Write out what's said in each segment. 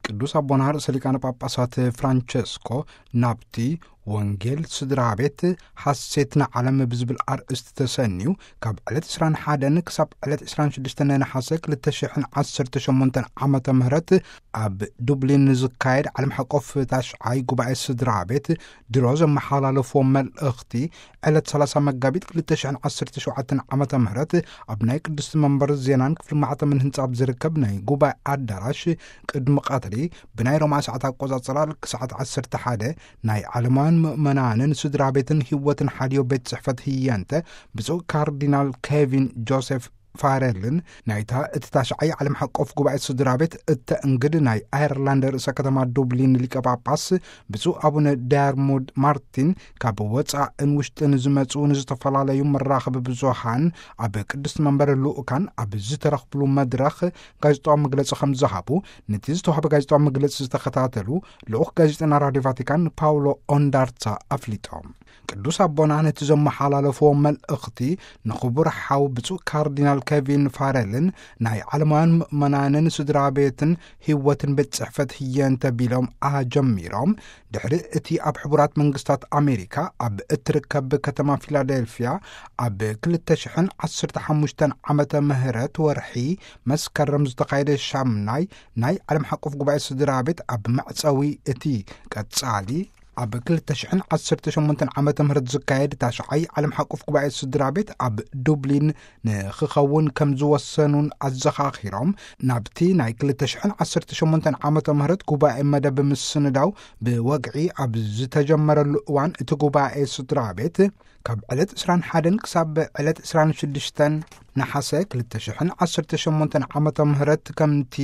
ቅዱስ ኣቦና ርእሰ ሊቃነ ጳጳሳት ፍራንቸስኮ ናብቲ ወንጌል ስድራ ቤት ሓሴት ንዓለም ብዝብል ኣርእስቲ ተሰንዩ፣ ካብ ዕለት ዕስራን ሓደን ክሳብ ዕለት ዕስራን ሽዱሽተን ነሓሰ ክልተ ሽሕን ዓሰርተ ሸሞንተን ዓመተ ምህረት ኣብ ዱብሊን ዝካየድ ዓለም ሓቆፍ ታሽዓይ ጉባኤ ስድራ ቤት ድሮ ዘመሓላለፍዎ መልእኽቲ፣ ዕለት ሰላሳ መጋቢት ክልተ ሽሕን ዓሰርተ ሸውዓተን ዓመተ ምህረት ኣብ ናይ ቅድስቲ መንበር ዜናን ክፍሊ ማዕተምን ህንጻ ኣብ ዝርከብ ናይ ጉባኤ ኣዳራሽ ቅድሚ ቀትሪ ብናይ ሮማ ሰዓት ኣቆጻጽራ ልክ ሰዓት ዓሰርተ ሓደ ናይ ዓለማውያን ምእመናንን ስድራ ቤትን ህይወትን ሓልዮ ቤት ጽሕፈት ህየንተ ብፁዕ ካርዲናል ኬቪን ጆሴፍ ፋረልን ናይታ እቲ ታሽዓይ ዓለም ሓቆፍ ጉባኤ ስድራ ቤት እተእንግድ ናይ ኣየርላንድ ርእሰ ከተማ ዱብሊን ሊቀ ጳጳስ ብፁዕ ኣቡነ ዳርሙድ ማርቲን ካብ ወጻእን ውሽጥን ዝመጹ ንዝተፈላለዩ መራኸቢ ብዙሃን ኣብ ቅድስቲ መንበር ልኡካን ኣብ ዝተረኽብሉ መድረኽ ጋዜጣዊ መግለጺ ከም ዝሃቡ፣ ነቲ ዝተዋህበ ጋዜጣዊ መግለጺ ዝተኸታተሉ ልኡኽ ጋዜጠና ራድዮ ቫቲካን ፓውሎ ኦንዳርታ ኣፍሊጦም። ቅዱስ ኣቦና ነቲ ዘመሓላለፍዎ መልእኽቲ ንኽቡር ሓው ብፁዕ ካርዲናል ኬቪን ፋረልን ናይ ዓለማውያን ምእመናንን ስድራ ቤትን ህይወትን ቤት ጽሕፈት ህየንተ ቢሎም ኣጀሚሮም። ድሕሪ እቲ ኣብ ሕቡራት መንግስታት ኣሜሪካ ኣብ እትርከብ ከተማ ፊላደልፊያ ኣብ ክልተ ሽሕን ዓሰርተ ሓሙሽተን ዓመተ ምህረት ወርሒ መስከረም ዝተኻየደ ሻምናይ ናይ ዓለም ሓቆፍ ጉባኤ ስድራ ቤት ኣብ መዕጸዊ እቲ ቀጻሊ ኣብ ክልተ ሽሕን ዓሰርተ ሸሞንተን ዓመተ ምህረት ዝካየድ ታሽዓይ ዓለም ሓቆፍ ጉባኤ ስድራ ቤት ኣብ ዱብሊን ንኽኸውን ከም ዝወሰኑን ኣዘኻኺሮም፣ ናብቲ ናይ ክልተ ሽሕን ዓሰርተ ሸሞንተን ዓመተ ምህረት ጉባኤ መደብ ምስንዳው ብወግዒ ኣብ ዝተጀመረሉ እዋን እቲ ጉባኤ ስድራ ቤት ካብ ዕለት ዕስራን ሓደን ክሳብ ዕለት ዕስራን ሽዱሽተን ነሓሰ ክልተ ሽሕን ዓሰርተ ሸሞንተን ዓመተ ምህረት ከምቲ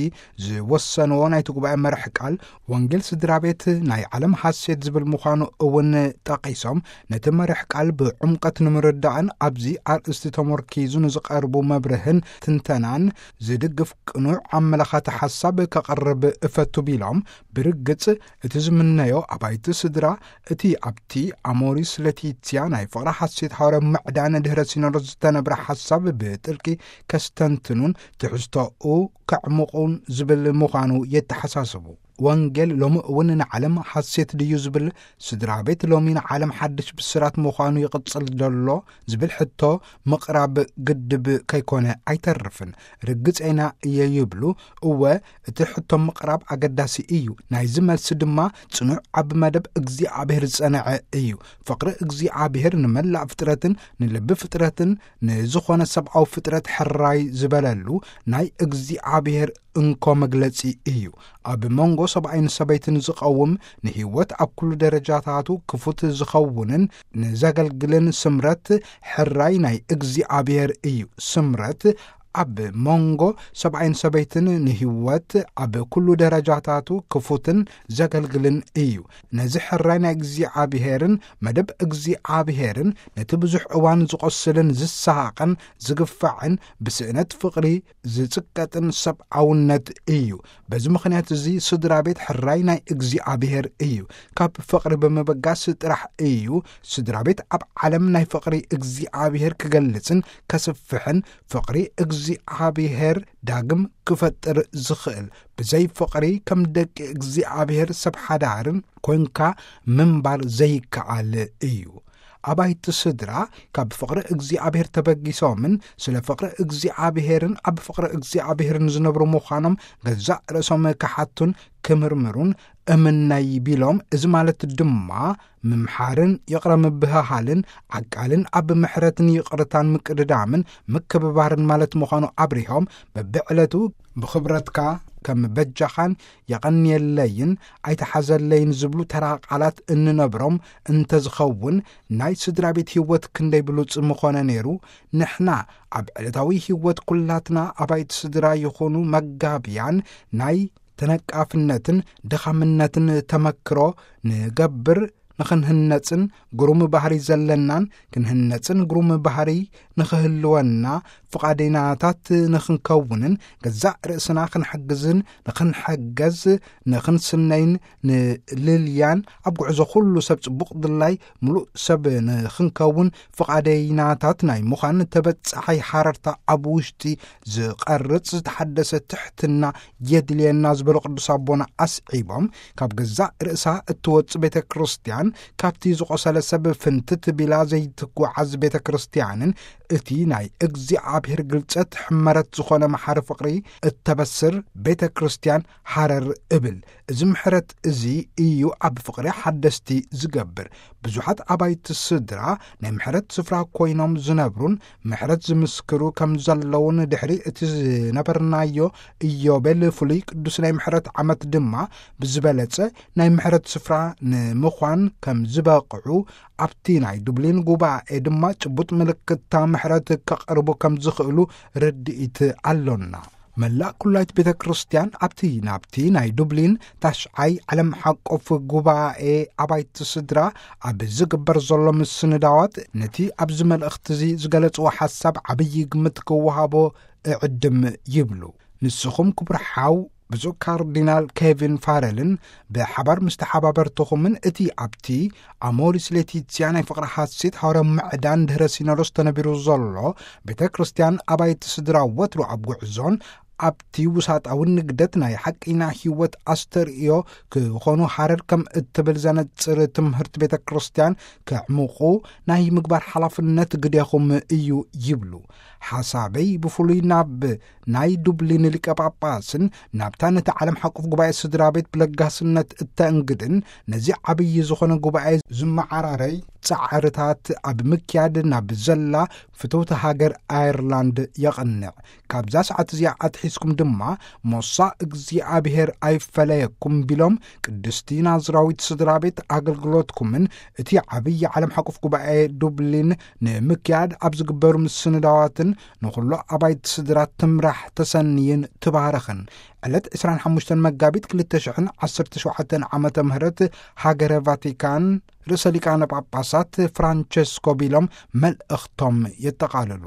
ዝወሰንዎ ናይቲ ጉባኤ መርሕ ቃል ወንጌል ስድራ ቤት ናይ ዓለም ሓሴት ዝብል ምዃኑ እውን ጠቒሶም፣ ነቲ መርሕ ቃል ብዕምቀት ንምርዳእን ኣብዚ ኣርእስቲ ተመርኪዙ ንዝቐርቡ መብርህን ትንተናን ዝድግፍ ቅኑዕ ኣመላኻቲ ሓሳብ ከቐርብ እፈቱ ቢሎም፣ ብርግጽ እቲ ዝምነዮ ኣባይቲ ስድራ እቲ ኣብቲ ኣሞሪስ ለቲትያ ናይ ፍቕሪ ሓሴት ሃዋርያዊ ምዕዳን ድሕረ ሲኖዶስ ዝተነብረ ሓሳብ ብጥልቂ ከስተንትኑን ትሕዝቶኡ ከዕምቑን ዝብል ምዃኑ የተሓሳስቡ። ወንጌል ሎሚ እውን ንዓለም ሓሴት ድዩ ዝብል፣ ስድራ ቤት ሎሚ ንዓለም ሓድሽ ብስራት ምዃኑ ይቕጽል ዘሎ ዝብል ሕቶ ምቕራብ ግድብ ከይኮነ ኣይተርፍን። ርግጸይና እየ ይብሉ። እወ፣ እቲ ሕቶ ምቕራብ ኣገዳሲ እዩ። ናይዚ መልሲ ድማ ጽኑዕ ኣብ መደብ እግዚኣብሔር ዝጸንዐ እዩ። ፍቕሪ እግዚኣብሔር ንመላእ ፍጥረትን ንልቢ ፍጥረትን ንዝኾነ ሰብኣዊ ፍጥረት ሕራይ ዝበለሉ ናይ እግዚኣብሔር እንኮ መግለጺ እዩ። ኣብ መንጎ ሰብኣይን ሰበይትን ዝቐውም ንህይወት ኣብ ኩሉ ደረጃታቱ ክፉት ዝኸውንን ንዘገልግልን ስምረት ሕራይ ናይ እግዚኣብሔር እዩ። ስምረት ኣብ መንጎ ሰብኣይን ሰበይትን ንህይወት ኣብ ኩሉ ደረጃታቱ ክፉትን ዘገልግልን እዩ። ነዚ ሕራይ ናይ እግዚኣብሔርን መደብ እግዚኣብሔርን ነቲ ብዙሕ እዋን ዝቖስልን ዝሰሃቕን ዝግፋዕን ብስእነት ፍቕሪ ዝጽቀጥን ሰብኣውነት እዩ። በዚ ምኽንያት እዚ ስድራ ቤት ሕራይ ናይ እግዚኣብሔር እዩ። ካብ ፍቕሪ ብምብጋስ ጥራሕ እዩ ስድራ ቤት ኣብ ዓለም ናይ ፍቕሪ እግዚኣብሔር ክገልጽን ከስፍሕን ፍቕሪ እግዚኣብሔር ዳግም ክፈጥር ዝኽእል። ብዘይ ፍቕሪ ከም ደቂ እግዚኣብሔር ሰብ ሓዳርን ኮንካ ምንባር ዘይከኣል እዩ። ኣባይቲ ስድራ ካብ ፍቕሪ እግዚኣብሔር ተበጊሶምን ስለ ፍቕሪ እግዚኣብሔርን ኣብ ፍቕሪ እግዚኣብሔርን ዝነብሩ ምዃኖም ገዛእ ርእሶም ክሓቱን ክምርምሩን እምነይ ቢሎም፣ እዚ ማለት ድማ ምምሓርን ይቕረ ምብህሃልን ዓቃልን ኣብ ምሕረትን ይቕርታን ምቅድዳምን ምክብባርን ማለት ምዃኑ ኣብሪሆም፣ በብዕለቱ ብኽብረትካ ከም በጃኻን የቐንየለይን ኣይተሓዘለይን ዝብሉ ተራ ቃላት እንነብሮም እንተዝኸውን ናይ ስድራ ቤት ህይወት ክንደይ ብሉጽ ምኾነ ነይሩ። ንሕና ኣብ ዕለታዊ ህይወት ኩላትና ኣባይቲ ስድራ ይኹኑ መጋብያን ናይ ተነቃፍነትን ድኻምነትን ተመክሮ ንገብር። ንኽንህነጽን ግሩም ባህሪ ዘለናን ክንህነጽን ግሩም ባህሪ ንኽህልወና ፍቓደይናታት ንኽንከውንን ገዛእ ርእስና ክንሕግዝን ንኽንሕገዝ ንኽንስነይን ንልልያን ኣብ ጉዕዞ ኩሉ ሰብ ጽቡቕ ድላይ ምሉእ ሰብ ንኽንከውን ፍቓደይናታት ናይ ምዃን ተበጻሓይ ሓረርታ ኣብ ውሽጢ ዝቐርጽ ዝተሓደሰ ትሕትና የድልየና ዝበሉ ቅዱስ ኣቦና ኣስዒቦም ካብ ገዛእ ርእሳ እትወጽእ ቤተ ክርስቲያን ካብቲ ዝቖሰለ ሰብ ፍንትት ቢላ ዘይትጓዓዝ ቤተ ክርስቲያንን እቲ ናይ እግዚኣብሔር ግልጸት ሕመረት ዝኾነ መሓሪ ፍቕሪ እተበስር ቤተ ክርስቲያን ሓረር እብል። እዚ ምሕረት እዚ እዩ ኣብ ፍቕሪ ሓደስቲ ዝገብር። ብዙሓት ኣባይቲ ስድራ ናይ ምሕረት ስፍራ ኮይኖም ዝነብሩን ምሕረት ዝምስክሩ ከም ዘለውን ድሕሪ እቲ ዝነበርናዮ ኢዮቤል ፍሉይ ቅዱስ ናይ ምሕረት ዓመት ድማ ብዝበለጸ ናይ ምሕረት ስፍራ ንምዃን ከም ዝበቕዑ ኣብቲ ናይ ዱብሊን ጉባኤ ድማ ጭቡጥ ምልክታ ምሕረት ከቕርቡ ከም ዝኽእሉ ርድኢት ኣሎና። መላእ ኩላይት ቤተ ክርስቲያን ኣብቲ ናብቲ ናይ ዱብሊን ታሽዓይ ዓለም ሓቆፍ ጉባኤ ኣባይቲ ስድራ ኣብ ዝግበር ዘሎ ምስንዳዋት ነቲ ኣብዚ መልእኽቲ እዚ ዝገለጽዎ ሓሳብ ዓብዪ ግምት ክወሃቦ እዕድም ይብሉ። ንስኹም ክቡር ሓው ብፁዕ ካርዲናል ኬቪን ፋረልን ብሓባር ምስ ተሓባበርትኹምን እቲ ኣብቲ ኣሞሪስ ሌቲትስያ ናይ ፍቕሪ ሓሴት ሃዋርያዊ ምዕዳን ድሕረ ሲኖዶስ ተነቢሩ ዘሎ ቤተ ክርስቲያን ኣባይቲ ስድራ ወትሩ ኣብ ጉዕዞን ኣብቲ ውሳጣዊ ንግደት ናይ ሓቂና ህይወት ኣስተርእዮ ክኾኑ ሓረር ከም እትብል ዘነጽር ትምህርቲ ቤተ ክርስቲያን ከዕምቑ ናይ ምግባር ሓላፍነት ግዴኹም እዩ ይብሉ። ሓሳበይ ብፍሉይ ናብ ናይ ዱብሊን ሊቀ ጳጳስን ናብታ ነቲ ዓለም ሓቁፍ ጉባኤ ስድራ ቤት ብለጋስነት እተእንግድን ነዚ ዓብዪ ዝኾነ ጉባኤ ዝመዓራረይ ጻዕርታት ኣብ ምክያድ ናብ ዘላ ፍትውቲ ሃገር ኣየርላንድ የቕንዕ። ካብዛ ሰዓት እዚኣ ኣትሒዝኩም ድማ ሞሳ እግዚኣብሔር ኣይፈለየኩም ቢሎም ቅድስቲ ናዝራዊት ስድራ ቤት ኣገልግሎትኩምን እቲ ዓብዪ ዓለም ሓቁፍ ጉባኤ ዱብሊን ንምክያድ ኣብ ዝግበሩ ምስንዳዋትን ንኹሉ ኣባይቲ ስድራ ትምራሕ ተሰንይን ትባረኽን። ዕለት ዕስራን ሓሙሽተን መጋቢት ክልተ ሽሕን ዓሰርተ ሸውዓተን ዓመተ ምህረት ሃገረ ቫቲካን ርእሰ ሊቃነ ጳጳሳት ፍራንቸስኮ ቢሎም መልእኽቶም የጠቓልሉ።